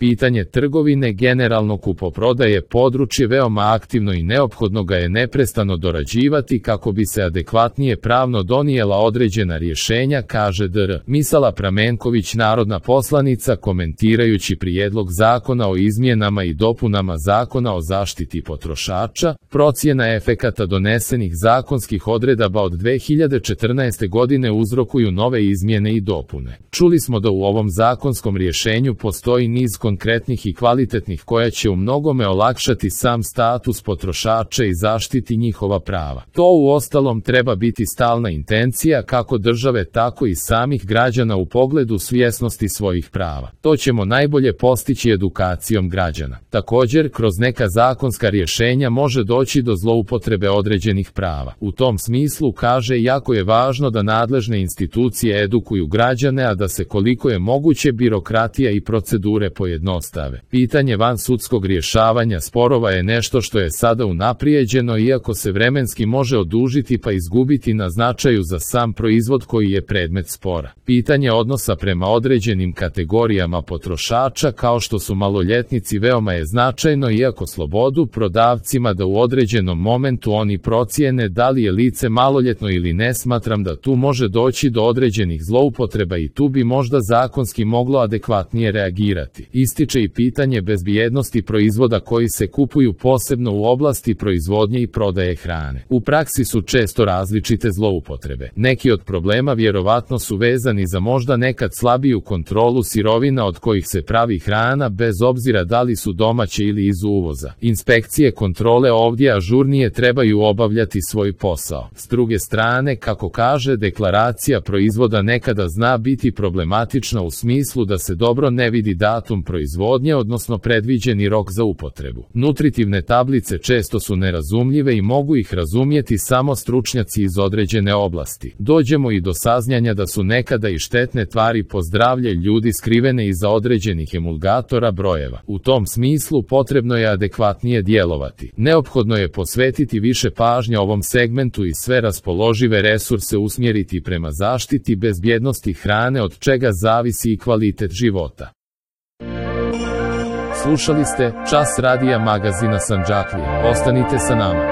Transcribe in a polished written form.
Pitanje trgovine, generalno kupoprodaje, područje veoma aktivno i neophodno ga je neprestano dorađivati kako bi se adekvatnije pravno donijela određena rješenja, kaže dr. Misala Pramenković, narodna poslanica, komentirajući prijedlog zakona o izmjenama i dopunama Zakona o zaštiti potrošača. Procjena efekata donesenih zakonskih odredaba od 2014. godine uzrokuju nove izmjene i dopune. Čuli smo da u ovom zakonskom rješenju postoji niz konkretnih i kvalitetnih koja će u mnogome olakšati sam status potrošača i zaštiti njihova prava. To uostalom treba biti stalna intencija kako države tako i samih građana u pogledu svjesnosti svojih prava. To ćemo najbolje postići edukacijom građana. Također, kroz neka zakonska rješenja može doći do zloupotrebe određenih prava. U tom smislu, kaže, jako je važno da nadležne institucije edukuju građane, a da se koliko je moguće birokratija i procedure pojednostave. Pitanje vansudskog rješavanja sporova je nešto što je sada unaprijeđeno, iako se vremenski može odužiti pa izgubiti na značaju za sam proizvod koji je predmet spora. Pitanje odnosa prema određenim kategorijama potrošača kao što su maloljetnici veoma je značajno, iako slobodu prodavcima da u određenom momentu oni procijene da li je lice maloljetno ili ne, smatram da tu može doći do određenih zloupotreba i tu bi možda zakonski moglo adekvatnije reagirati. Ističe i pitanje bezbjednosti proizvoda koji se kupuju, posebno u oblasti proizvodnje i prodaje hrane. U praksi su često različite zloupotrebe. Neki od problema vjerovatno su vezani za možda nekad slabiju kontrolu sirovina od kojih se pravi hrana, bez obzira da li su domaće ili iz uvoza. Inspekcije kontrole ovdje ažurnije trebaju obavljati svoj posao. S druge strane, kako kaže, deklaracija proizvoda nekada zna biti problematična u smislu da se dobro ne vidi datum proizvodnje, odnosno predviđeni rok za upotrebu. Nutritivne tablice često su nerazumljive i mogu ih razumjeti samo stručnjaci iz određene oblasti. Dođemo i do saznanja da su nekada i štetne tvari po zdravlje ljudi skrivene iza određenih emulgatora brojeva. U tom smislu potrebno je adekvatnije djelovati. Neophodno je posvetiti više pažnje ovom segmentu i sve raspoložive resurse usmjeriti prema zaštiti bezbjednosti hrane, od čega zavisi i kvalitet života. Slušali ste Čas radija magazina Sandžaklija. Ostanite sa nama.